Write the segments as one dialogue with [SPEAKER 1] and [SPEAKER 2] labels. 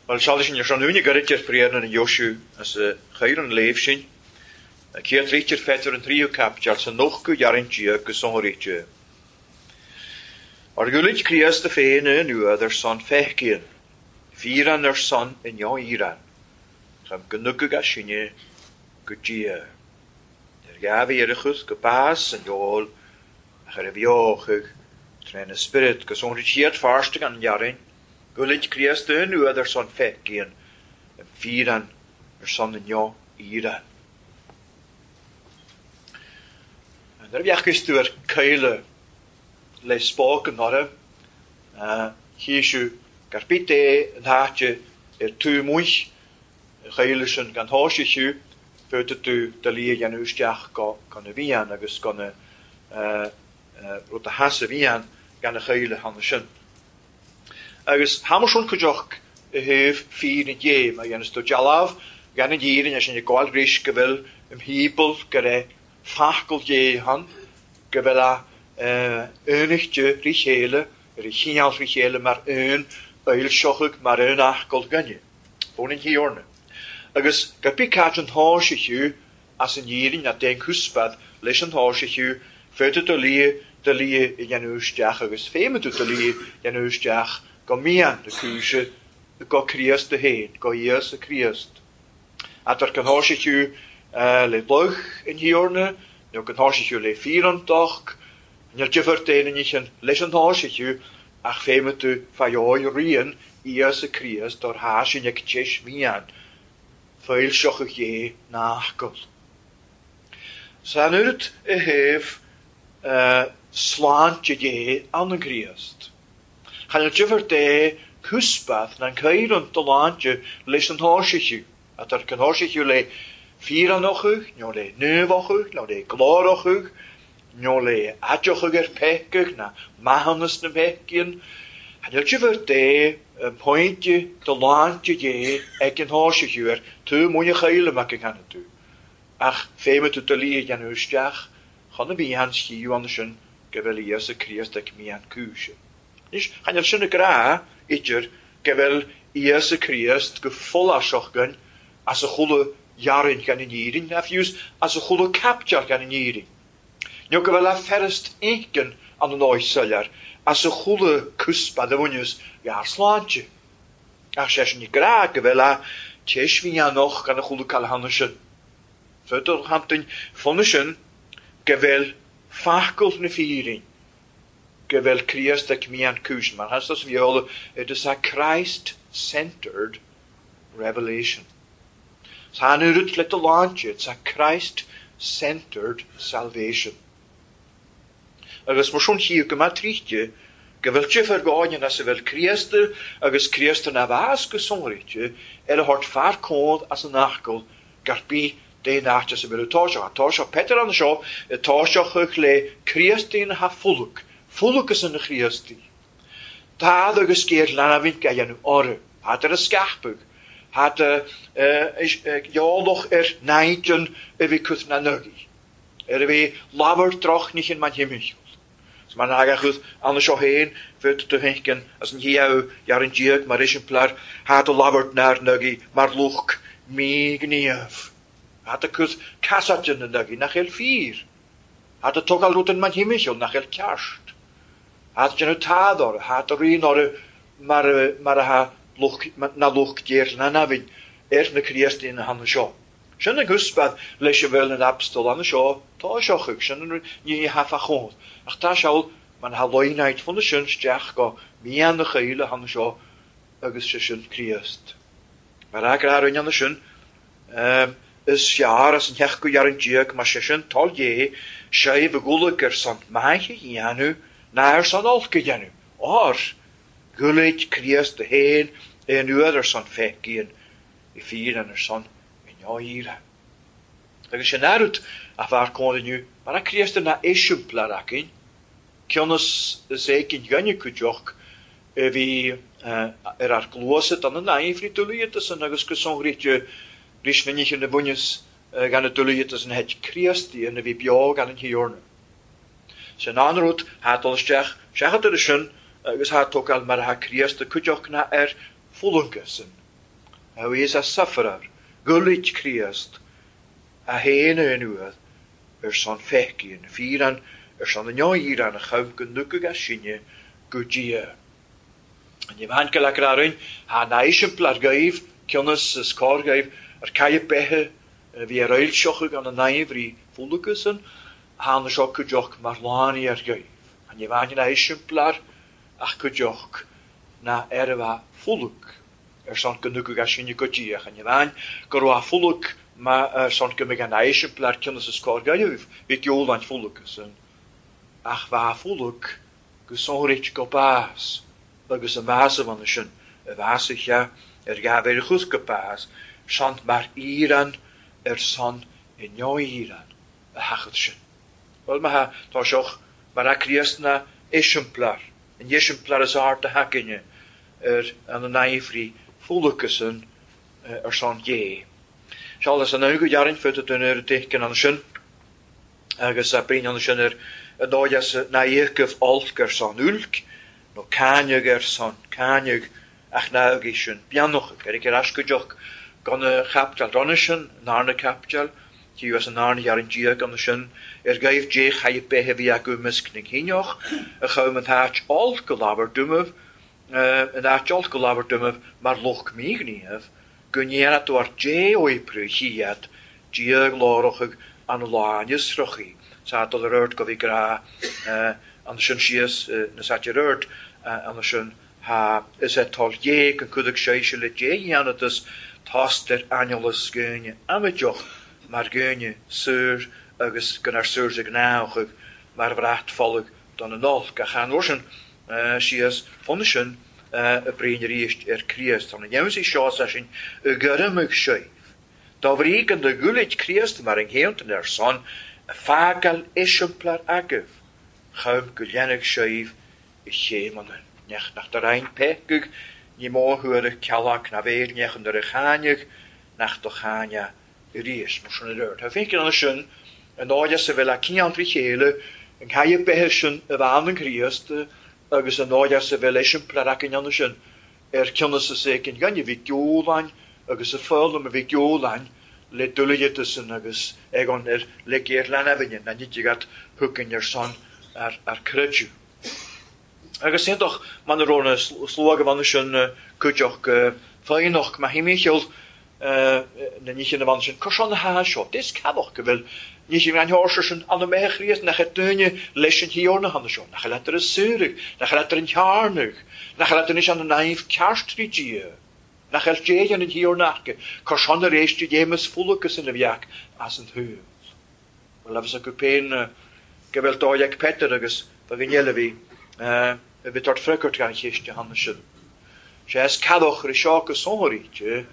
[SPEAKER 1] Bhuel, seoladh sin ar son uaine gairid ar Phriar na nDeoisiú as a chuir an léamh sin. Céad litir Pheadair an tríú caipiteal sa nóchadú dhearthaint déag go sonraíte. Mar ghualaid Críost féin i nuad ar son feicíonn, fíreann ar son i ndeoíreann, chum go n-ugadh as sinne go Dia. Ar dhea-mhéarachas go bás an fheoil ach ar a bheochadh tréna spiorad go sonraí siad fearsta gan dhearthain, Gualaid Críost i nuad ar son feicíonn, an fíreann ar son i ndeoíreann. Nuair a bheadh tú ar caoile le spóc an ortha, chíosú gar bit é an háite ar tú amuigh an chaoile sin gan thoise thiú, féadfaidh tú do lí a dhéanamh isteach go na bhfiann agus go na rud a theas a bhfiann gan a chaoile cheana sin. Agus thámas cuid oc i thaobh fírinne Dé, má dhéanas tú dealbh gan an fhírinne sin ag gabháil ris go bhfuil im thimpeall go raibh focal Dé ann, go bhfuil a aonaichte rí chéile, ar a chineál rí chéile mar aon fhoilseochadh mar aon fhocal againne, ón an Thiarna. Agus gur bí cait an tháise thiú as an fhírinne ná déan cúspad leis an tháise thiú, féadfaidh do lia do lia a dhéanamh isteach agus féadfaidh tú do lia a dhéanamh isteach go mian na cúise go Críost féin, go Íosa Críost. Atar go tháise thiú le luch an Thiarna, nó go tháise thiú le fíreantacht, níl difear d'aon ní sin leis an tháise thiú, ach féadfaidh tú fá dheoidh rian Íosa Críost ar tháise ag teis mhian, foilseochadh Dé nach gol. San oiread i thaobh sláinte Dé ann an Críost. Chan fhuil difear dé cúspath ná an caoran do láinte leis an tháise thiú, atar an tháise thiú le fíreannochadh, nó le naomhochadh, nó le glórochadh, nó le aiteochadh ar peicadh, ná maitheanas na mpeicíonn. Chan fhuil difear dé pointe do láinte Dé ag an tháise thiú ar tú muine chaoile mac an cheana tú, ach féadfaidh tú do lí a dhéanamh isteach chun a bhí an sciú ann sin go bhfuil Íosa Críost ag mian cúise. Anois, chan fhuil sin ag rá idir go bhfuil Íosa Críost go follasach againn as a chuala dhearthain gan an fhírinne, ná fiú as a chuala caiptear gan an fhírinne. Nó go bhfuil a fearast inchinn an an áit soiléir as a chuala cúspad a bhaineas ghearr sláinte. Ach sé sin ag rá go bhfuil a teis mhianach gan a chuala cailleachana sin. Féadtar chantain fonna sin go bhfuil focal na fírinne, go bhfuil Críost ag mian cúis, mar has sa bheola, it is a Christ-centered revelation. San oiread le do láinte, it's a Christ-centered salvation. Agus mar sin chíodh go maith tríchte, go bhfuil difear gáinne as a bhfuil Críost agus Críost ina bhás go sonraíte ar a thabhairt fear cód as an fhocal gar bí d'aon áit as a bhfuil táiseach. Táiseach Peter an seo, táiseach le Críostaí na ha-fhulac, fulac as an Chríostaí. Tád agus géar leanamhaint ga dhéanamh orthu, thad ar a scapadh, thad eolach ar náidean a bhí cuth na nugaí, ar a bhí labhar droch níchin man himmichiúil. Is mar naga chuth anna seo féin, féadfaidh tú féin as an hiamh dhear an diag mar eiseamplar, thad a labhairt nár nugaí mar luch míghníomh. Thad a cuth casáide na nugaí nach eil fíor. Thad a tógáil rud an man himmichiúil nach eil ceart. Thad déanamh tád orthu, thad a rian orthu mar a ha luch, na luch déir na nabhainn ar na Críostaí na hanna seo. Sin an gcuspad leis a bhfuil an apostol anna seo, tá seo chuig, sin an ní hafa chód. Ach tá seall man ha loináid fonna sin isteach go mian na chaoile hanna seo agus sé sin Críost. Mar agra rinne anna sin, is fearr as an theach go dhear an diag, mar sé sin toil Dé, séimh a ghualaigh ar son maith a dhéanamh, ná ar son olc a dhéanamh. Or, ghualaigh Críost a féin aon uair ar son feicíonn, i fíor ar son i ndáiríre. Agus sin aird a bhear cónaí inniu, mar a Críost ina eiseamplar againn, cionn is éicint ghainne cuideach a bhí ar ár gcluasa don an aifrí dúlaíotas agus go sonraíte rís minic na bhaineas gan na dúlaíotas an het Críostaí ina bhí beo gan an Thiarna. Sin an rud thá dul isteach seachadar sin agus thá tógáil mar atá Críost a cuideach ná ar fulainge sin. A bhíos a sufferer, gulaid Críost, a fhéin a anuad ar son feicín, fíran ar son an fhíran a chum go nucadh as sinne go Dia. Ní bhain go leac arainn, thá an eiseamplar gaibh, cionnas is cor gaibh, ar cailleadh beithe a bhí ar fhoilseochadh an naimhrí fualacasan, thána seo cuideoch mar lánaí ar gaibh. Ní bhain an eiseamplar ach cuideoch ná ar a bheith fualac ar son go nucadh as sinne go Dia. Ní bhain go raibh fualac ar son go mbeidh an eiseamplar cionnas is cor gaibh, bhí geoláin fualacasan, ach bheith fualac go sonrít go bás agus a measa bhana sin a bheasa ar ghabh ar chus go bás son mar íran ar son i neoíran a thachad sin. Well má tá seoch mar a Críost na eiseamplar, an eiseamplar is ard a hacinne ar an naifrí fualacasan ar son Dé. Seálas an go dhearn fud a duine ar dhécan an sin agus a bríon an sin ar a dóigh na íocaibh olc ar son ulc nó cáineadh ar son cáineadh ach ná ag sin beannach ar ag ar aiscuideach gan a chaptal ronna sin narna captal tí as an narna dhearn Dia gan sin ar gaibh Dé chaith bethe bhí acu misc na cíneach a chum an háit olc go lábhar dúmah an áit olc go lábhar dúmah mar luch míghníomh go ndéanadh tú ar Dé oibriú chiad Dia glórochadh an lá nisrochaí sa dul ar ord go bhí grá an sin síos na sáte ar ord an sin ha is é tol Dé go cuideadh sé se le Dé dhéanatas tást ar aineolas gúine amaideach mar gúine sur agus gan ar sur ag náchaidh mar bhrat folach don an olc ach an uair sin síos fonna sin a bríon arís ar Críost. Tá na dhéansaí seo sa sin i gcuirmidh sé. Dá bhrí go na gulaid Críost mar an chéantan ar son a fágáil eiseamplar agaibh chum go leanfadh sibh i chéimeanna. Nech nach do roinn peicadh ní mó thuar ceallach na bhéil nech an ar a cháineadh nach do cháineadh arís mar sin ar ord. Tá féin an sin an áide sa bhfuil a cineál trí chéile an caille bethe sin a bhean an Críost agus an áide sa bhfuil eiseamplar acu an sin ar cionnas is éicint gainne bhí geoláin agus a foghlaim a bhí geoláin le dulaigeatasan agus ag an ar le géar leanamhaine na nitigat thucain ar son ar creidiú. Agus aonach man a raibh na slua go bhana sin cuideach féinach má himícheall na níche na bhana sin cur na há seo. Dis cabach go bhfuil níche an háir sin an méthe Chríost nach duine leis an thiorna hana seo, nach letar a súrach, nach letar an chearnach, nach letar is an naimh ceartrí Dia. Nach eil déan an thiorna acu, cur son ar éiste dhémas fualacas ina bheach as an thuil. Well, agus acu péin go bhfuil dóigh ag Peter agus ba go eile bhí a bhí tart freagairt gan chéiste hana sin. Sé is cadach ar seo go sonraíte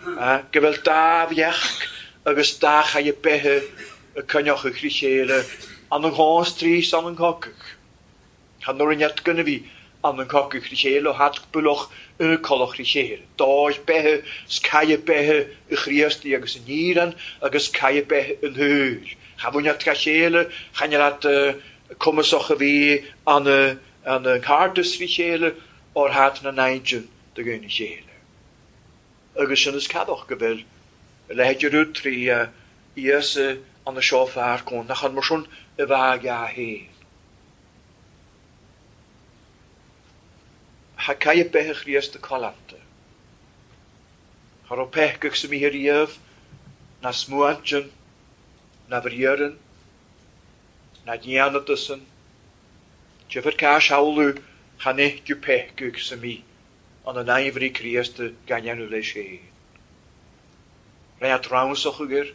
[SPEAKER 1] go bhfuil dá bheach agus dá chaille bethe a coinneach a chrí chéile an an gástrís an an cocach. Chan nuair an net gona bhí an an cocach chrí chéile ó hat buloch ina colach chrí chéile. Dá bethe is caille bethe i Chríostaí agus in Íran agus caille bethe in thuil. Cha bhain at ga chéile, chan at cumasach a bhí an an cártas trí chéile or hat na naintin de gúna chéile. Agus sin is cadach go bhfuil a leithéid rud trí Íosa an na seo fear cón nach an mar sin i bheith a héin. Ha caille bethe Chríost a colanta. Cha raibh peiceach sa míthe riamh, na smuantin, na bhriaran, na dhéanatasan. Tifar cá shamhlú chan ithciú peiceach sa mí an an aimhrí Críost gan dhéanamh leis féin. Réat ramsach air,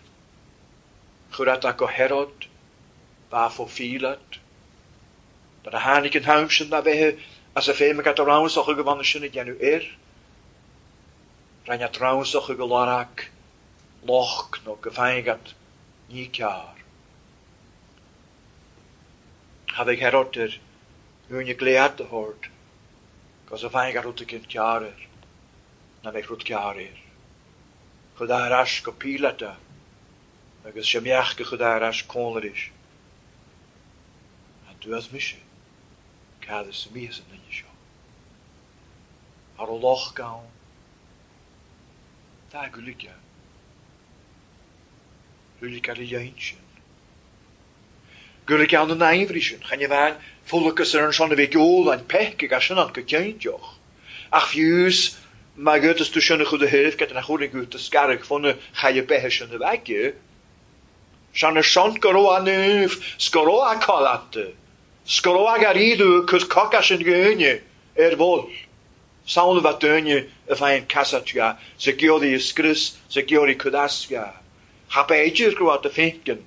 [SPEAKER 1] chuir at go Herod, ba fó Phílat. Dar a tháinig an t-am sin na bheithe as a féim ag at a ramsach go bhana sin a dhéanamh air. Réat ramsach go lárach loch nó go féin ní cearr. Ha bheith Herod ar úine gléad a hord, cos a féin rud cinn cearr air, na bheith rud cearr air. Chud ar ais go Pílat agus sé meach go chud ar ais cónairis. A dúas mise, cad is a míos an duine seo. Ar ó loch gann. Tá Gaeilge. Gaeilge ar a dhein sin. Gaeilge ann an aimhrí sin. Chan é bhean folachas ar an son a bhí ag ól an peic ag sin an go cinnteach. Ach fiús má gcutas tú sin a chud a thaobh get nach chuireann gut a scaradh fona chaille beithe sin a bheith aici. Sean ar son go raibh a naomh 's go raibh a codlata 's go raibh a gairíodh a cur coca sin dhuine ar bhol. Samhail bheith duine a bheith casat sa gceoraí a scrios sa gceoraí cud as ga. Cha b'fhéidir go raibh do féinceann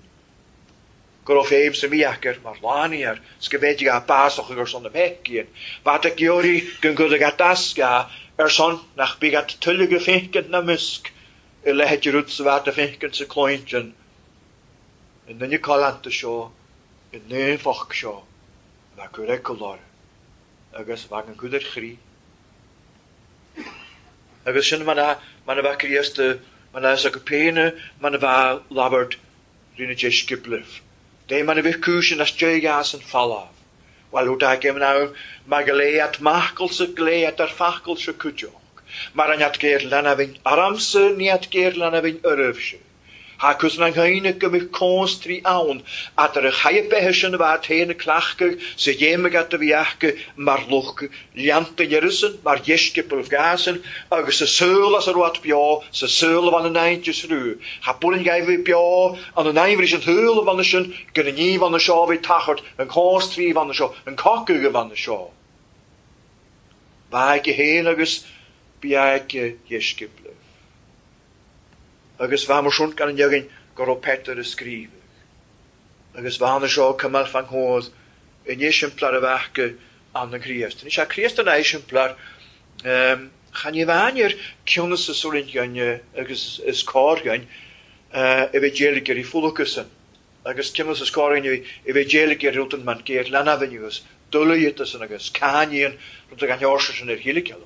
[SPEAKER 1] go raibh féim sa mhíocair mar lánaíar 's go bhféadfadh a básach ar son na mbeicíonn. Ba do gceoraí go gcud ag atasca ar son nach bígh at tuilleadh go féinceann na misc i leithéid rud sa bheith do féinceann sa clóinteann. I nduine codlata seo, i naomhach seo, bheadh cur ag coláire agus bheadh an cud ar chroí. Agus sin mar a bheadh Críost, mar a is acu péine, mar a bheadh labhairt rí na deisceablaibh. Dé mar a bheadh cúis in as déigheas an falamh. Bhuel, ó d'fhág an am, mar go léigh at macalsa go léigh at ar facalsa cuideach. Mar an at géar leanamhain aramsa ní at géar leanamhain oraibhse. Thá cos na ngaoine go mbeadh cós trí ann, eadar a chaith beithe sin a bheith féin a cleachtadh sa ghéim agat a bhí acu mar lucht leanta Uireasan, mar dheisceabail Ghasan, agus sa saol as a raibh beo, sa saol a bhain an aimhreas rú. Thá buan ghaibh beo an an aimhreas an shaol a bhain sin, go na ní bhain seo a bhí tachairt, an cós trí bhain seo, an cogadh a bhain seo. Bheadh aici féin agus bhí aici dheisceablaibh. Agus bheadh mar sin gan an againn go raibh Peter a scríobhadh. Agus bheadh na seo cumail fan chód in eiseamplar a bheadh go an an Chríost. Anois tá Críost ina eiseamplar, chan ní bhean ar cionnas is orainn againn agus is cóir againn a bheith déiligh ar folúcasan. Agus cionnas is cóir againn a bheith déiligh ar rud an man géar leanbh agus dulaíotasan agus cáiníonn rud a gan sin ar shíle.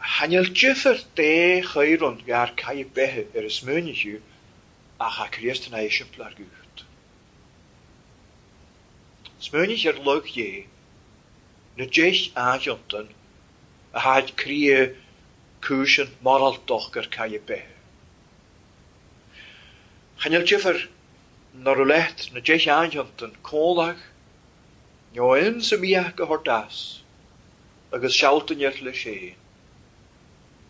[SPEAKER 1] Chanel difear dé chairon gar caí beithe ar a smuinithiú ach a Críost na eiseamplar gut. Smuinich ar lug dhé, na deich áthiontan a tháid cria cúisean moráltach ar caí beithe. Chanel difear nar lecht na deich áthiontan cólach, neo in sa miach go hordas, agus sealtan ar le sé.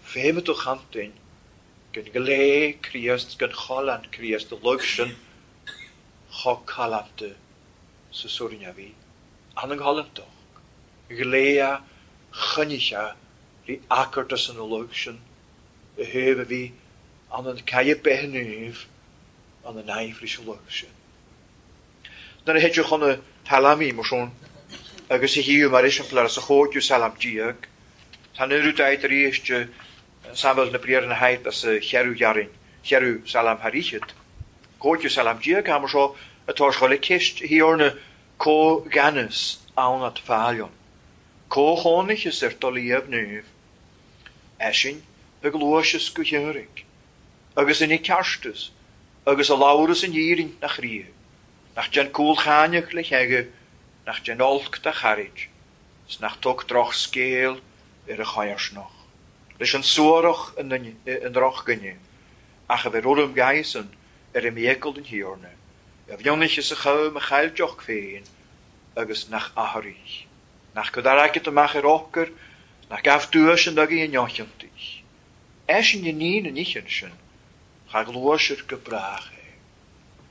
[SPEAKER 1] Féime do chantain, gan glé Críost, gan cholan Críost, a lug sin cho calanta sa suairne a bhí. An an cholantach, gléa choinnicha rí acarta san a lug sin, a thaobh a bhí an an caille beithníomh an an aimhris a lug sin. Nuair a thit chun na talamaí mar sin, agus a híú mar eiseamplar sa chóidiú salam diag, Tá nuair daid arís samhail na briar na haid as a chearú ghearrainn, chearú salam thar. Cóidiú salam diag mar seo atá seo le ceist thiorna có-ghanas ann at fáilion. Có-chónaicheas ar dul naomh. Eisin ag luaiseas go hiúraigh, agus ina ceartas, agus a labhras in dhírin nach rí, nach den cúl cháineach le cheige, nach den olc da chairid, 's nach tug droch scéal ar a chaorsnach. Leis an suarach in droch gine, ach a bheith orm gaisan ar a míocail den thiorna, a bhionnaich is a chum a chailteach féin agus nach athraí. Nach go daraicead amach ar ócar, nach gabh dúis an agaí an neochiontaí. Eisin i níon an ichean sin, cha gluaisir go brách é.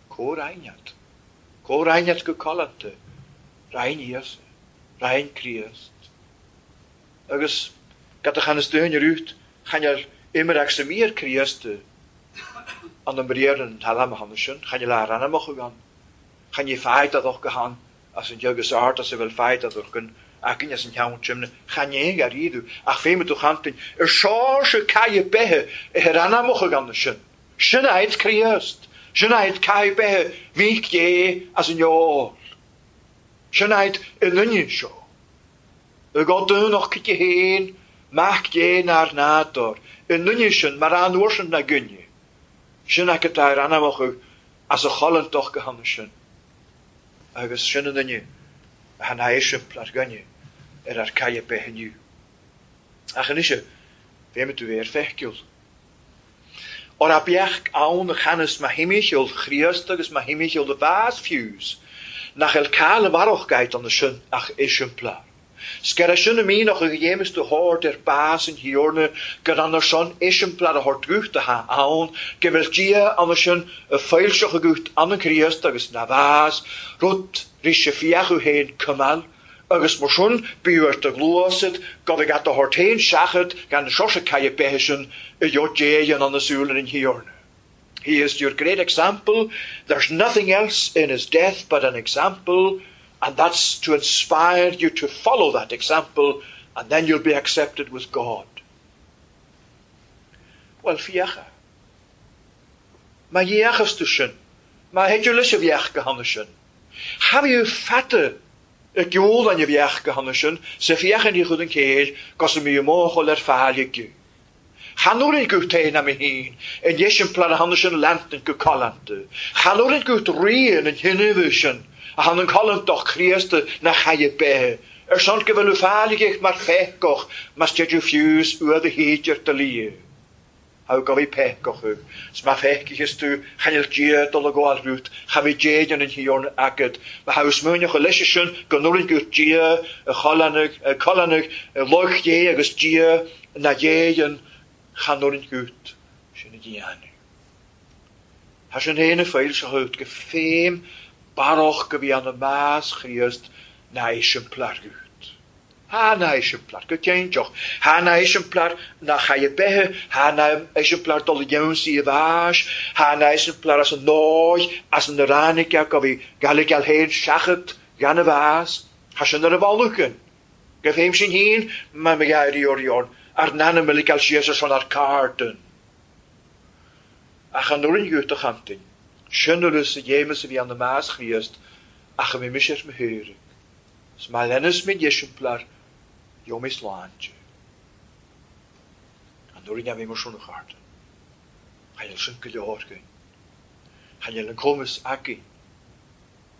[SPEAKER 1] Có raineat. Có raineat go colanta. Rain Íosa. Rain Críost. Agus gad a chanas duine rút, chanel imreach sa mír Críost an an briar an talam a hanna sin, chanel a ranamach gan. Chan i fáid a go han as an deag is art as a bhfuil fáid a gan acin as an cheann simne, chan é ar iadú, ach féime tú chantain, ar seá caille bethe i ranamach gan sin. Sin áit Críost, sin áit caille bethe mhíc dé as an eol. Sin áit i nduine seo. Y go dúnach cite héin, mac dé nar nádor, i nduine sin mar an uair sin na gine. Sin acu tá ar anamach as a cholantach go hanna sin. Agus sin an duine a han eiseamplar gainne ar ar caille bethiniu. Ach anois Bhéimid do bhéar feiciúil. Ora beach ann a chanas ma himicheall Chríost agus ma himicheall a bhás fiús, nach el cael a bharroch an sin ach eiseamplar. Scer sin a míach a dhémas do hád ar bás an hiorna gur an son eiseamplar a hort gucht a ha ann, go bhfuil Dia an sin a foilseach a gucht an an Chríost agus na bhás, rud rí sé fiachu héin cumal, agus mar sin bíhart a gluasad go bh at a hort héin seachad gan seo se caiie bethe sin i jo déan an nasúl an hiorna. He is your great example. There's nothing else in his death but an example, and that's to inspire you to follow that example, and then you'll be accepted with God. Well, fiacha. Ma dhéachas tú sin, má héidir leis a bheach go hanna sin. Cha bhíú feta y gwl an bheach go hanna sin, sa fiachan i chud an céir, gos y mi ymóchol ar fáil. Chanúrin go téin am hín, in dhéisimplar a hanna sin lantan go colanta. Chanúrin go rian an hinnifu sin, a han an colantach Chríosta na chaie bethe. Ar son go bhfuil fáil mar fecoch, mas deú fiús ua a héidir de lia. Há go bhí pecoch thug. S má feicichas tú chanil Dia dul a gáil rút, cha bhí déan an hiorn agad. Ma ha smúneach a leis sin go nuair go Dia a cholanach a loch dé agus Dia na dhéan chanúrin gut sin a dhéanú. Tá sin héana féil se thuut go féim barroch go bhí an na más Chríost na eiseamplar gut. Ha na eiseamplar go céinteach. Ha na eiseamplar na chaie bethe, ha na eiseamplar dul jaunsaí a bháis, ha na eiseamplar as an nóid, as an ránica go bhí Gaelic héin seachad gan a bhás, ha sin ar a bhaluchan. Go féim sin hín, ma me gairí orion, ar nana me gal sios ar son ar carden. Ach an nuair gut a chantin, sin a dhémas a bhí an na más Chríost, ach a mí mis ar me thuirig. S má lennas mé eiseamplar, jo mé sláinte. An nuair a bhí mar sin a chardan. Chail sin go leor gain. Chail an cumas againn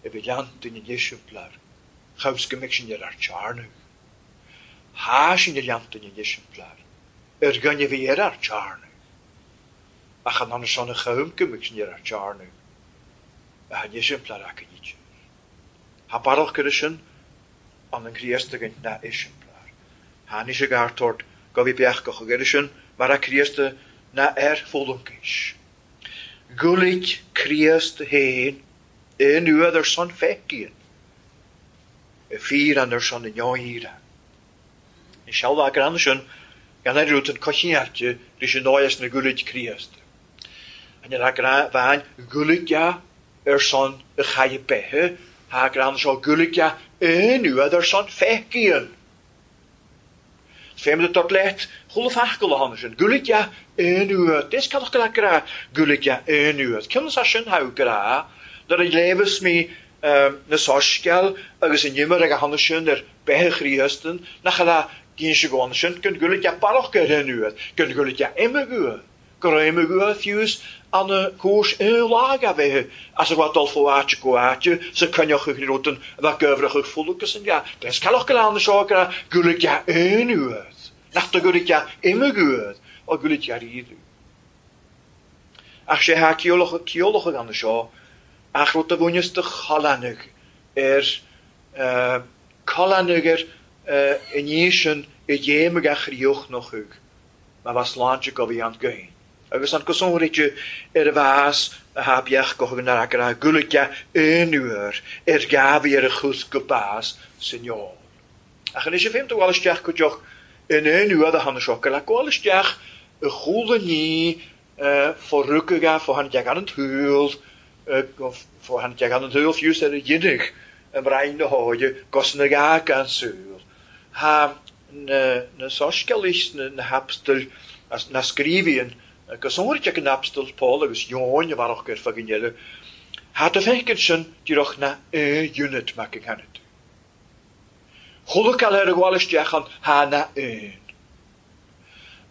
[SPEAKER 1] a bhí leantain an eiseamplar, chaus go mbeidh sin ar ar tearnadh. Há sin ar leantain an eiseamplar, ar gainne bhí ar ar tearnadh. Ach an anna son a chaum go mbeidh sin ar ar tearnadh, a han eiseamplar againn idir. Ha barrach go sin an an Chríost againn na eiseamplar. Tháinig sé gartort go bhí beach go chuige sin mar a Chríosta na ar fólamcéis. Gúlaid Chríost héin in uad ar son feicíonn. Y fír an ar son yn ioíra. Ní sealbha gran sin gan ar rút an cochiáte leis an nóias na gúlaid Chríost. An ar gra bhain gúlaid ar son y chaie bethe, ha gran seo gúlaid in uad ar son feicíonn. Féim de tot lecht, chuile fachgal a hanna sin. Gúlaid in uad. Des cadach go gra gúlaid in uad. Cyn sa sin hau gra, dar a léfas mi na sosceal agus an nimar ag a hanna sin ar bethe Chríostan, nach a gín se go sin, gyn gúlaid barach go in uad, gyn gúlaid imma uad. Go raibh imma uad fiús an a cúis in lag a bheith as a bhfuil dul fó áite go áite sa coinneach ag rotan a bheith gobhrach ag folucas an ga. Des calach go lán seo gra gúlaid in uad. Nach do gúlaid imma uad ó gúlaid ríadú. Ach sé ha ceolach ag an seo ach rud a bhuaineas de cholanach ar cholanach ar in sin i dhéim ag a chríoch noch thug, ma bha sláinte go bhí an gain. Agus an cosónrite ar a bhás a ha beach go thug ar agra gúlaid in uair ar gabhí ar a chus go bás san eol. Ach anois a féim do bhfuil isteach go deoch in aon uair a tháinig seo, go le gabháil isteach y chúla ní fo fo han deag an túl, fo han deag an túl fiús ar y dhinach ym rhain na háide gos na ga gan súl. Ha na soscealís na hapstal na scríbhíonn gos óir an apstal Paul agus Jóin a bharach gur fagin eile. Ha do feiceann sin díreach na unit mac an chanad. Chuile cael ar y gwael isteach an ha na un.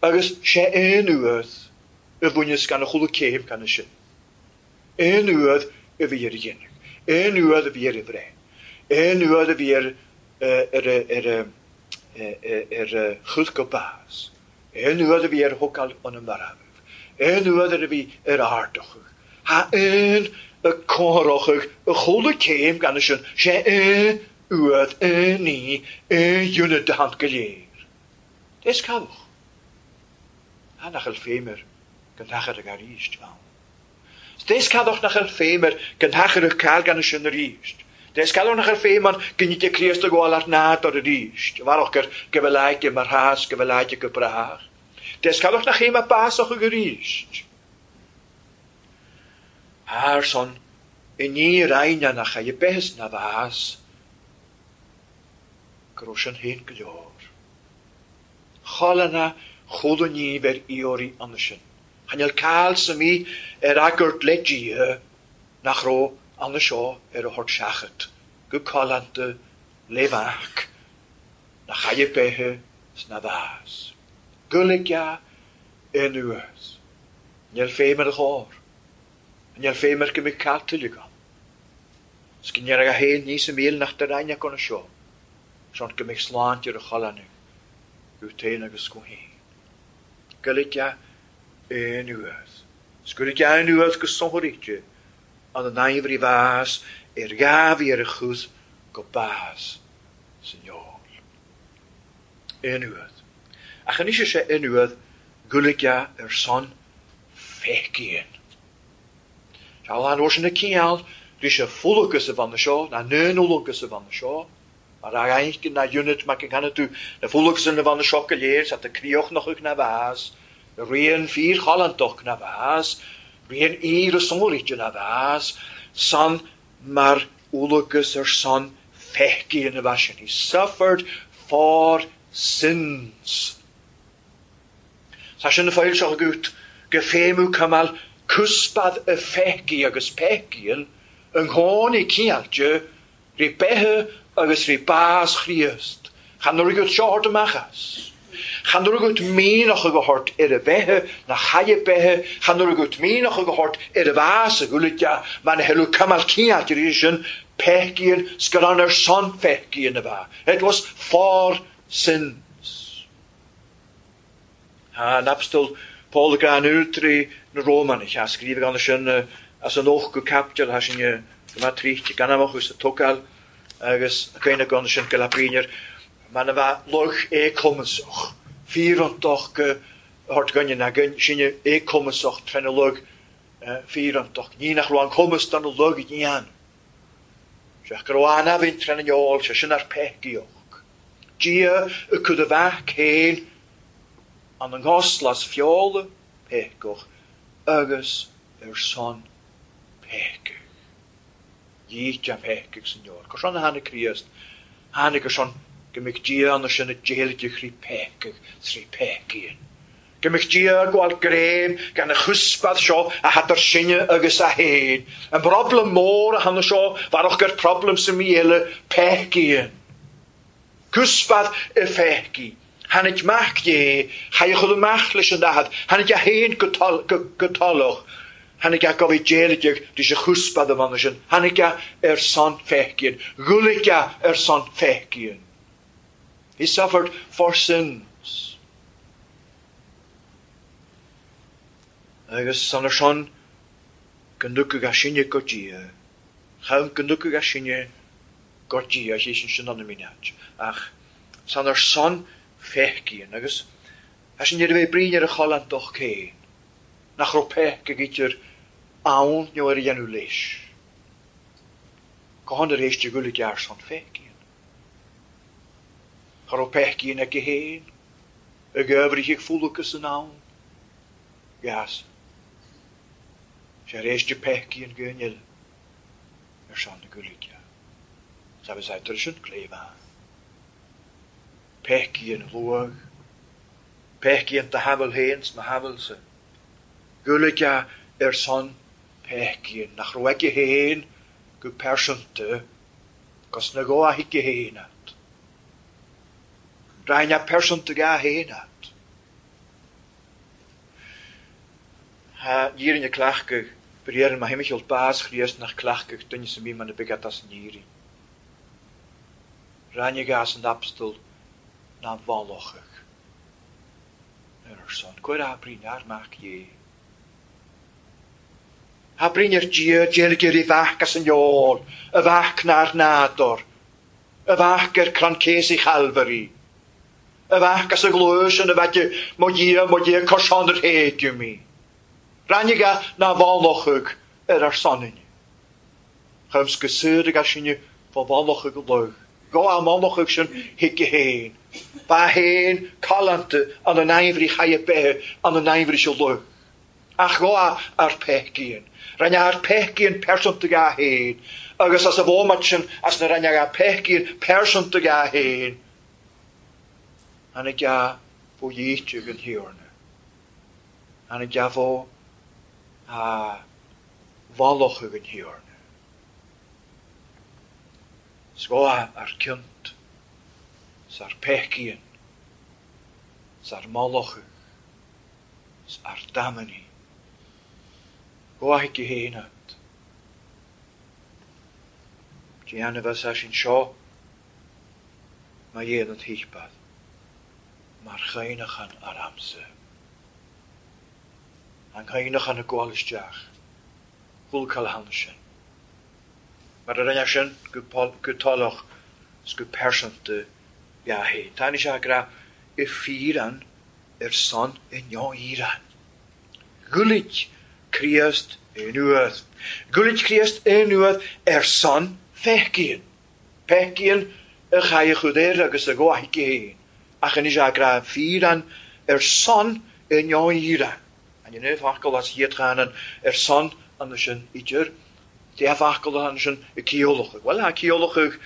[SPEAKER 1] Agus sé un uair y bhaineas gan y chuile céim gan y sin. Un uair y bhí ar y dhéanamh. Un uair y bhí ar y bhreith. Un uair y bhí ar ar chwth go bás. Aon uair a bhí ar thógáil an marbh, aon uair a bhí ar ardachadh, ha aon a comhaireachadh a chuala céim gan sin, sé aon uair, aon ní, aon ionad de hand go léir. Is cabhach. Ha nach bhfuil féim air go n-achar ag arís ann. Is cadach nach bhfuil féim air go n-achar ag cael gan sin arís. Des cadach nach bhfuil féim an gynnig Críost a ghabháil ar nádúr arís. Bharach gur go bhfuil aige mar thás go bhfuil aige go brách. Des cadach nach chéim a básach arís. Ar son i ní raine nach é behes na bhás go raibh sin féin go leor. Cholana chuala níomh ar ióirí anna sin. Chanel cael sa mí ar agart le Dia nach raibh anna seo ar a thort seachat, go colanta le bhac, nach chaille beithe sna bhás. Guliga anuas. Níl féim ar a chór. Níl féim ar go mbeidh cael tuilleadh ann. 'S go ndéarfadh a féin níos a míl nach de raine acu na seo. Sean go mbeidh sláinte ar a cholanna, go féin agus go féin. Guliga anuas. 'S guliga anuas go sonraíte an an aimhrí bhás ar ghabhí ar a chus go bás san eol. Anuas. Ach anois sé anuas guliga ar son feicíonn. Tá an sin na ciall bhí sé fulagus a bhanna seo, na nunulagus a bhanna seo, mar a ghaince na unit mac an canna tú na fulagus na bhanna seo go léir sa críoch nach na bhás, rian fíor chalantach na bhás, rian íre sonraíte na bhás, san mar ulagus ar son feicíonn a bhás sin. He suffered for sins. Tá sin na foil seo agat go féimiú camal cusbad y fecí agus pecíon yng nghôn i ciallte rí bethe agus rí bás Chríost. Chan nuair agat seo hort amach as. Chan nuair agat míneach ag a hort ar a bethe na chaille bethe, chan nuair agat míneach ag a hort ar a bhás a gúlaide man a helú camal ciallte rí sin pecíon scaran ar son fecíon a bha. It was for sins. Ha an apostol Paul gan útrí na Rómanaich a scríobh gan sin as an och go captal ha sin go ma tríchte gan amach us a tógáil agus a cuine gan sin go labrínear man a bheith loch é cumasach fíorantoch go hort gainne na gain sinne é cumasach tréna lug fíorantoch ní nach raibh an cumas don lug i dhéan. Sé go raibh an-abhainn tréna neol sé sin ar peicíoch. Dia y cud a bheith céin an an goslas fiola pecoch agus ar son pecoch. Dhít am pecoch san neol. Cos an tháinig Críost, tháinig ar son go mbeidh Dia ann sin a déilge chrí pecoch trí pecíon. Go mbeidh Dia gabháil gréim gan a chusbad seo a hat ar sinne agus a héin. An problem mór a hanna seo bharach gur problem sa mí eile pecíon. Cusbad y fecí. Tháinig mac dé, chaith chun amach leis an daichead, tháinig a héin go talach, tháinig a gabh déilge dís a chusbad a bhanna sin, tháinig a ar son fecíon, ghualaigh a ar son fecíon. He suffered for sins. Agus san ar son go ndúchadh a sinne go Dia, chaim go ndúchadh a sinne go Dia, sé sin sin an mínead. Ach san ar son fecíon agus a sin ar a bheith brín ar a cholantach céin, nach raibh pec ag idir ann nó ar a dhéanamh leis. Go hon ar éiste gúla gearr son fecíon. Cha raibh pecíon aige féin, ag oibrithe ag fúlacas san ann. Gas. Sé ar éiste pecíon go nil ar son na gúla gearr. Sa bheith tar sin cléibh. Pecíon luag, pecíon ta hamel héin ma hamelsa. Gúlaige ar son pecíon, nach raibh aige héin go persanta, cos na go a hice héin at. Raine persanta ga héin at. Ha nírin a clachga, briaran ma himichel bás chríost nach clachga duine sa mí man a bigat as nírin. Raine gas an apostol na bhalochach. Ar ár son. Cuir abraín ár Mac Dé. Abraín ar Dia deilgir i bhfeac as an eol, a bhfeac nár nádúr, a bhfeac ar crann céasaí Chalvary, a bhfeac as a ghluais ina bhfeac mo Dhia, mo Dhia, coiseán ar théigeadh mí. Ráinig a ná bhánlochadh ar ár sonainn. Chums go saor ag sinne fá bhánlochadh luch. Go á mbánlochadh sin chuige féin. Ba féin callánta an an aimhrí chaidhe beithe an an aimhrí seo luch. Ach go á ar peicín. Rinne ar peicín pearsanta ga féin. Agus as a bhómat sin as na rinne a peicín pearsanta ga féin. Anna ga fó dhéite an thiarna. Anna ga fó a bhánlochadh an thiarna. Sgoa ar ciont, 's ar peicín, 's ar mállochadh, 's ar damani. Goa chuige féin ad. Déanamh bheas sin seo má dhéanann thípad, mar chaonachan ar amsa. An chaonachan a gabháil isteach, dhulcail sin. Mar a rinne sin go toileach 's go pearsanta ga féin. Tá sé ag rá i fíran ar son i neo-Íran. Ghuilit Críost anuas. Ghuilit Críost anuas ar son feicíonn. Feicíonn a chaidhe chud air agus a ghabhaidh féin. Ach anois ag rá fíran ar son i neo-Íran. An inniu focal as hiad ar son an sin idir. Dé focal an sin i ciolach. Well, a ciolach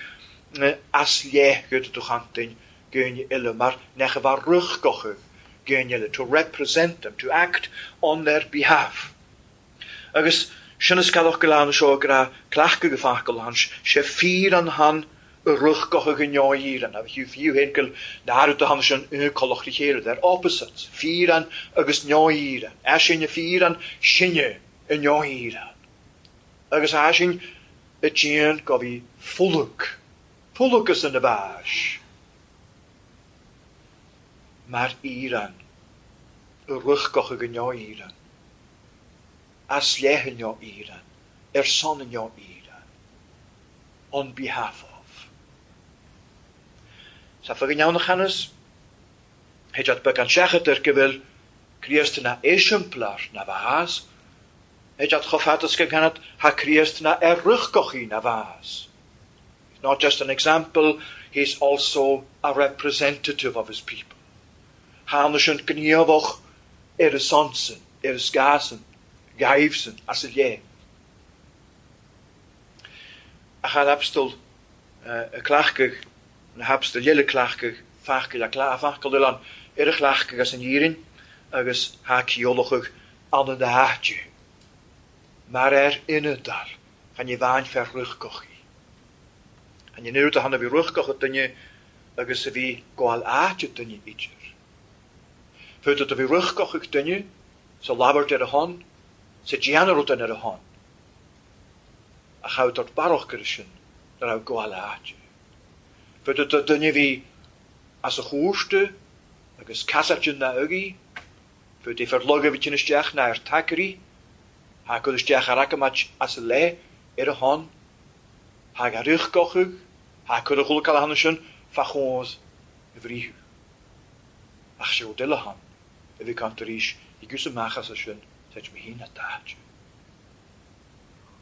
[SPEAKER 1] as léchad do chantain gúine eile mar nech a bhar ruchgochadh gúine eile, to represent them, to act on their behalf. Agus sin is cadach go lean seo gra clachadh go focal han sé fíor an han y ruchgochadh yn neo-Íran. A bhí fiú féin go náru do han sin y colach ri chéile, they're opposites. Fíor an agus neo-Íran. A sin fíor an sinne y neo-Íran. Agus a sin y tían go bhí fuluc. Fulucas yn y bhash. Mar Íran. Y ruchgochadh yn neo-Íran. As lech yn neo-Íran. Ar son yn neo-Íran. On behalf of. Sa fag yn iawn chanys, Hediad beag an seachat ar gyfel Críost na esiamplar na bhas, Hediad chofadas gan canad ha Críost na er ruchgochi na bhas. He's not just an example, he's also a representative of his people. Hána sin gníomhach ar a sonsan, ar a sgásan, gaibhsan, as a lé. Ach an abstal y clachgach, na habstal eile clachgach, fachgal a clá fachgal an ar a chlachgach as an dhírin, agus ha ciolachach an an áite. Mar ar inadal, chan i bhain fer ruchgochi. Chan i nuair a hanna bhí ruchgoch duine agus a bhí gabháil áite duine idir. Fud a bhí ruchgoch duine, sa labhairt ar a hon, sa déanamh rud ar a hon. A chaud ort barach gur sin, na raibh gabháil áite. Fud a duine bhí as a chúrste agus casairtin na ugaí, fud é fer loga bhí tin isteach na ar tacairí, ha cur isteach ar agamait as a le ar a hon, ha ga ruchgochadh, ha cur a chulcail a hanna sin fa chóns i bhríthú. Ach sé rud eile han, a bhí cant arís i gcús amach as sin, tait mé hín a dáte.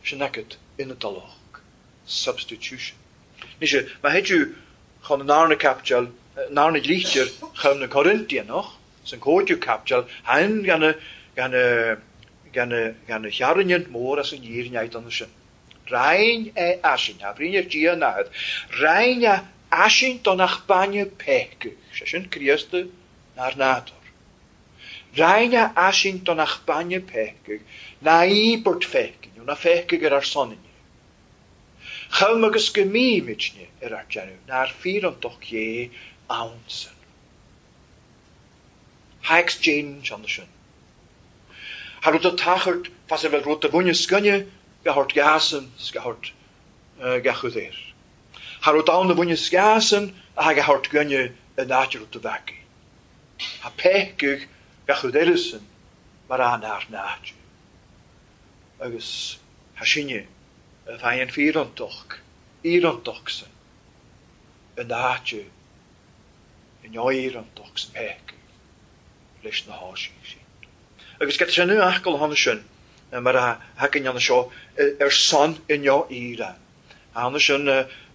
[SPEAKER 1] Sin agat inadalach, substitution. Ní sé, má héidiú chun an arna capteal, an arna dlítear chun na Corintianach, san cóidiú capteal, hain gan a chearrainne mór as an dhír neid an sin. Rain é asin, a bhríon ar Dia nád, rain é asin don ach bainne peicadh, sé sin Críosta nár nádúr. Rain é asin don ach bainne peicadh, na íbert feicin, nó na feicadh ar ár soninne. Chum agus go mímidne ar ár déanamh, nár fíorantoch dhé ansan. Ha exchange an sin. Ha rud a tachart fas a bheith rud a bhaine scoinne ga hort gasan 's ga hort ga chud air. Ha rud ann a bhaine sgasan a ha ga hort gcoinne in áit rud a bheacaí. Ha peicadh Gach rud eile san mar a nár náide. Agus tha sinne a bheidh an fíorantach, íorantach san in áite in áírantach san peaca leis na háisí sin. Agus get sin acol honna sin mar a thagann an seo ar son inniu íra. Honna sin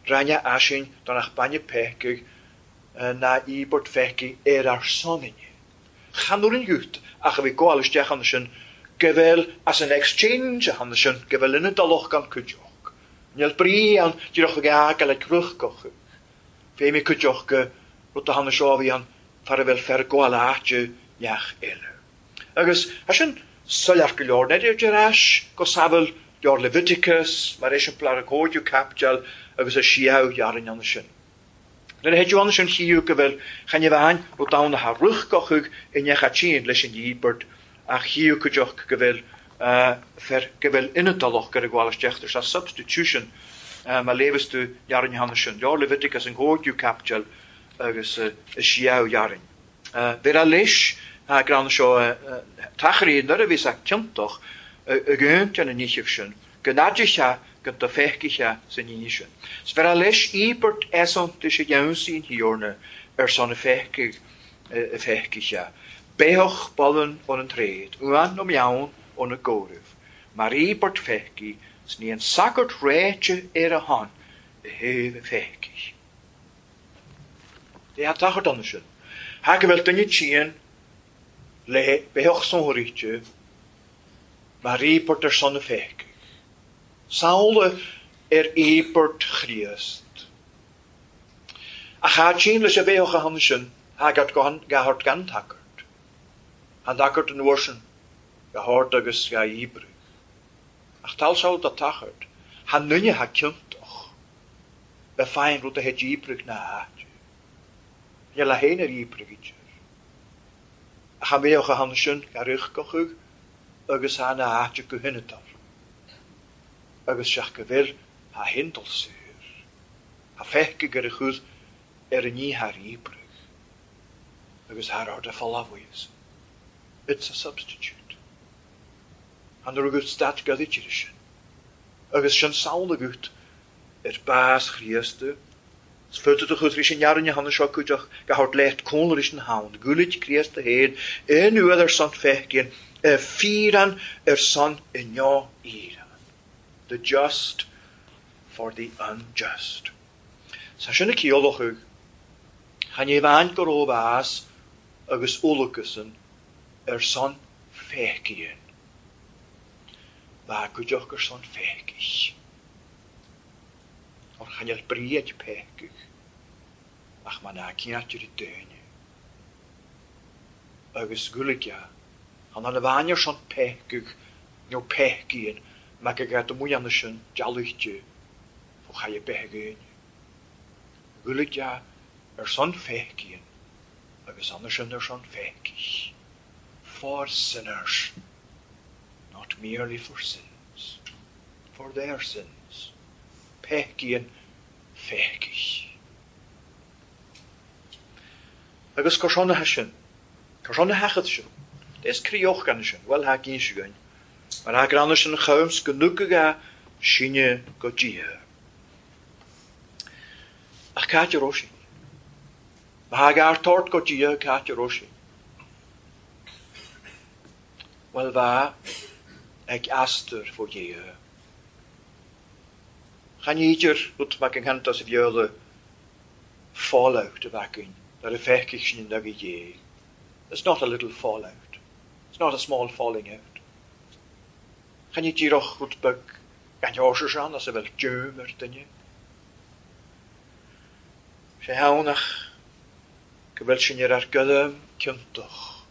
[SPEAKER 1] ranne aisin don ach bainne peaca ná íobairt pheaca ar ár son inniu. Chan uair an gut ach a bhí gabháil isteach ann sin go bhfuil as an exchange ann sin go bhfuil ina dulach gan cuideach. Níl brí ann díreach ag fhágáil ag rithgach. Féimidh cuideach go rud a tháinig seo a bhí an fear a bhfuil fer gabháil áite neach eile. Agus as sin soiléir go leor, neidir ar ais go samhail leor Leviticus mar eiseamplar a cóidiú caipiteal agus a siadh dhearn ann sin. Nuair a théid ann sin chíú go bhfuil chan bhean rud ann a tha rithgach i neach a tsin leis an íobairt ach chíú cuideach go bhfuil fer go bhfuil ina dulach gur a gabháil isteach. There's a substitution má léifeas tú dhearn ann sin. Leor Leviticus an cóidiú caipiteal agus a siadh dhearn. Bhí a leis gran seo tachairí nuair a bhí sa ciontach i gcúnt an níochadh sin, go n-aidithe go do feicithe sa ní sin. 'S bhí a leis íobairt easontais a dheansaí an thiarna ar son a feicithe. Beoch ballan ón an tréad, uan nó meann ón a gcomhaireamh, mar íobairt feicí 's ní an sagart réite ar a shon i thaobh a feicithe. Dé ha tachar donna sin. Ha go bhfuil duine tsin le beoch sonraíte mar íobairt ar son a feicithe. Samhla ar íobairt Chríost. Ach ha tsin leis a bheoch a tháinig sin, thagart gahart gan tagart. Han tagart an uair sin, gahart agus ga íobrigh. Ach tal saol da tagart, han nunne ha ciontach, be féin rud a théid íobrigh na háite. Níl a héin ar íobrigh idir. Ach an bheoch a tháinig sin, ga rithgach agus ha na háite go hinadar. Agus seach go bhfuil ha hindal saor. Ha feicthe gur a chud ar an ní thar íobrigh. Agus thar ard a folámhaíos. It's a substitute. An rugadh stat gaditir sin. Agus sin samhla gut ar bás Chríosta. 'S futa do chud ris an nearne hanna seo cuideach go thart leat cónla ris an hound. Gúlid Críosta héin in uad ar son feicín, y fíran ar son inniu íran. The just for the unjust. Sa sin a ciallach chan é bhain go raibh bás agus ualachasan ar son feicín. Bha cuideach ar son feicich. Or chan eil bríad peicich, ach ma ná ciatir i daoine. Agus gúlaige, chan an bhain ar son peicich nó peicín, ma go gad muianna sin dealuichte fó chaille beithe gaoine. Gúlaige ar son feicín agus anna sin ar son feicich. For sinners, not merely for sins, for their sins. Peicín feicich. Agus cur seo na sin, cur seo na hachad sin, Des crioch gan sin, well ha gín sin gain. Mar ha granna sin chums go nuga sinne go Dia. Ach cáit ar sin. Ma ha gar tort go Dia cáit ar sin. Well bha ag astur fó Dia. Chan idir rud mac an chantas a bheola fallout a bhacin dar a feicich sin in nagaí Dé. It's not a little fallout. It's not a small falling out. Chan idirach rud beag gan eorsar sean as a bhfuil deom ar duine. Sé hánach go bhfuil sin ar ar gculam ciontach.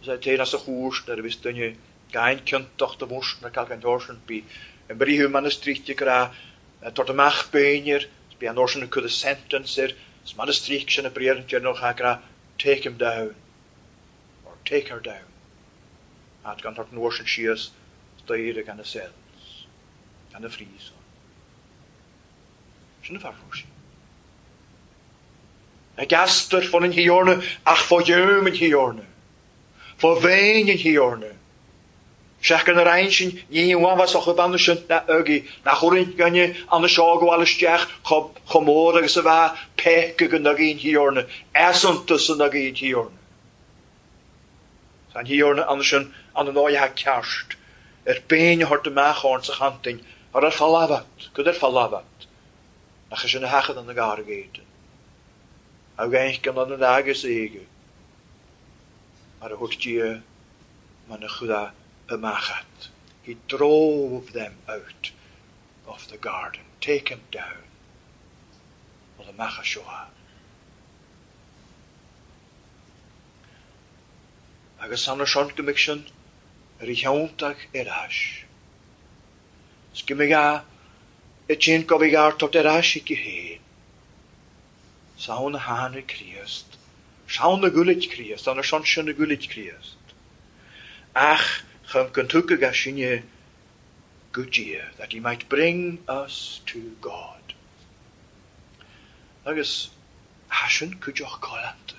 [SPEAKER 1] Is é téan as a chúis nuair a bhís duine gain ciontach do mhús na cal gan eorsan bí an bríú manastríte go raibh tort amach béinir, bí an orsan a cud a sentence ar, is manastríc sin a bríar an dearnach go raibh take him down, or take her down. At gan tort an orsan síos daoire gan a cells, gan a fríos. Sin a fear sin. Ag astar fón an thiorna ach fó dheom an thiorna. Fá bhéin an Thiarna. Seachar na roinn sin ní amháin sa chubanna sin na agaí nach chuireann gainne an seo gabháil isteach chomh mór agus a bheadh peaca go n-agaí an Thiarna, easaontas an agaí an Thiarna. Tá an Thiarna ann sin an an ceart ar béin a thabhairt amach ón sa chantain ar ar falábhat, cad ar falábhat, nach é sin a sheachad an garg éadan. Ag gan an agus éige mar a thabhairt Dia man a chuda amachat. He drove them out of the garden. Take him down. Well, amach seo. Agus an son go mbeidh sin ar a cheanntach ar ais. 'S go mbeidh a i tsin go bhí art ar ais i féin. Saon a tháinig Críost. Saon na gcuilit Críost, an ar son sin na gcuilit Críost. Ach chum go dtugadh a sinne go Dia, that he might bring us to God. Agus tha sin cuideach callanta.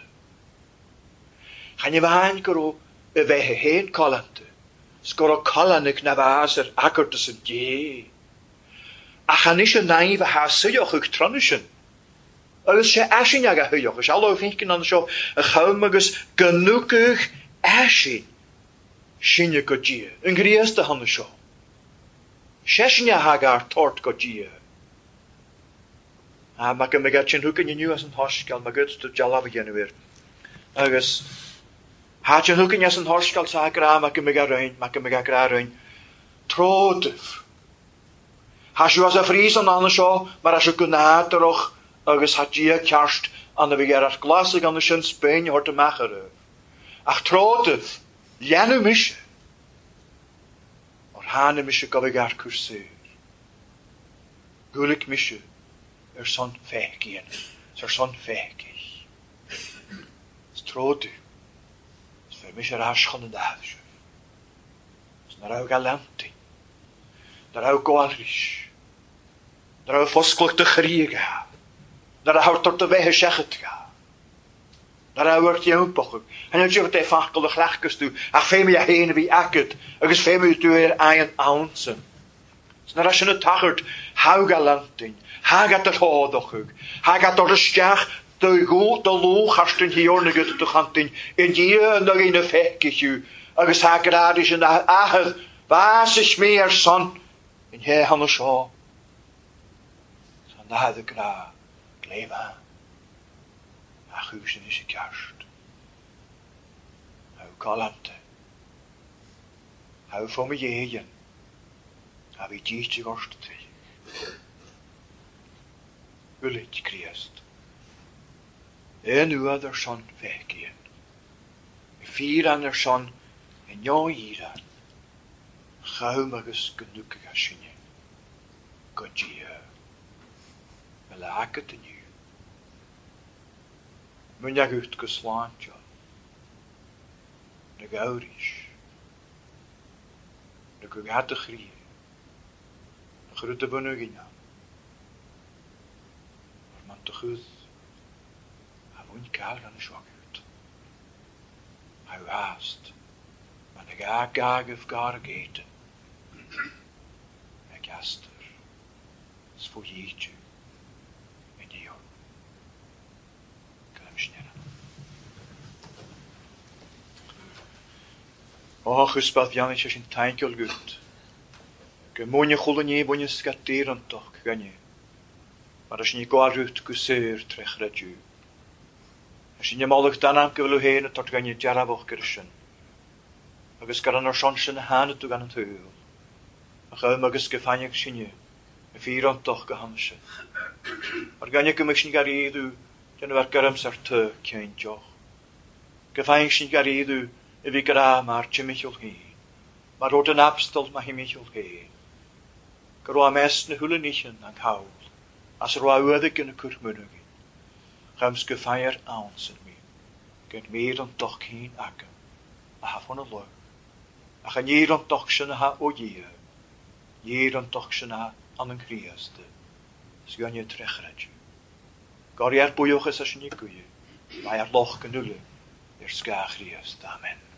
[SPEAKER 1] Chan amháin go raibh a bheith féin callanta, 's go raibh callánach na bhás ar acartas an Dé. Ach anois an naimh a tha suíoch ag tráth sin. Agus sé aisin ag a thuíoch, is aló finkin an seo a chum agus go nucadh aisin sinne go Dia, an Chríost a thána seo. Sé sin a thag ar tort go Dia. A ma go mbeidh sin thugann inniu as an thoscail, ma gud tú dealbh a dhéanamh air. Agus thá sin thugann as an thoscail sa gra ma go mbeidh roinn, ma go mbeidh gra roinn. Tródamh. Thá siú as a frís an anna seo mar as go nádúrach agus thá Dia ceart an a bhí ar glas ag an sin Spéin a thabhairt amach oraibh. Ach tródamh, leanadh mise. Mar tháinig mise go bhfuil ar cúrsaí. Gúlic mise ar son feicíonn, ar son feicigh. Is tródú, is bheith mise ar ais chun an dáimh sibh. Is na raibh galantaí, na raibh gabhálrís, na raibh fosclacht de chríoga, na raibh tort a bheith seachadga, na raibh ar cheampach, An dúirt é facal a chleachtas tú, ach féimí a héin a bhí agat, agus féimí tú ar aon ansan. 'S na raibh sin a tachairt thá galantain, tha gat ar thádachadh, tha gat ar isteach do dhó do lóchart an thiarna agat do chantain, i ndiaidh na dhaoine feicfidh thú, agus tha grádaí sin a athair, bhás is mé ar son, in hé hana seo. Tá nád grá, gléibh a chú sin is i ceart. Thá galanta. Thá fó mo dhéigin. A bhí díte ort trí. Uilig Críost. Aon uad ar son feicíonn. Fíran ar son i neoíran. Chum agus go nucadh a sinne. Go Dia. Me le agat inniu. Muneagut go sláinte. Na gabhrís. Na go gad a chrí. Na chur de bunú gine. Mar man do chud. A bhain ceal gan seo agat. A bhást. Man na gá gágah gar géite. Ag astar. 's fó dhéite. Inniu. Go sin Ó chuspath bheannaigh sé sin tainceol gut. Go múine chula ní bhaine scatírantoch gainne. Mar sin ní gáilrút go saor tre chreidiú. A sin málach danam go bhfuil héin a tort gainne dearabhach gur sin. Agus gar an ar son sin a thána tú gan an tuil. A chum agus go faineach sinne, a fírantoch go hana sin. Mar gainne go mbeidh sin garíadú déanamh ar garam ar tu céinteoch. Go faineach sin garíadú a bhí grá mar timicheall féin, mar rud an abstal ma thimicheall féin. Go raibh mes na hula níchan an cawl, as raibh uadaigh na curmunagin. Chums go fear ann san mí, gan mír an doch cín agam, a ha fona lo. Ach an nír an doch sin a ha ó Dhia, nír an doch sin a an an Chríost, 's gainne trechreidiú. Gar ar buíochas as sin i gcuie, má ar loch go nuile, ar scá Chríost. Amen.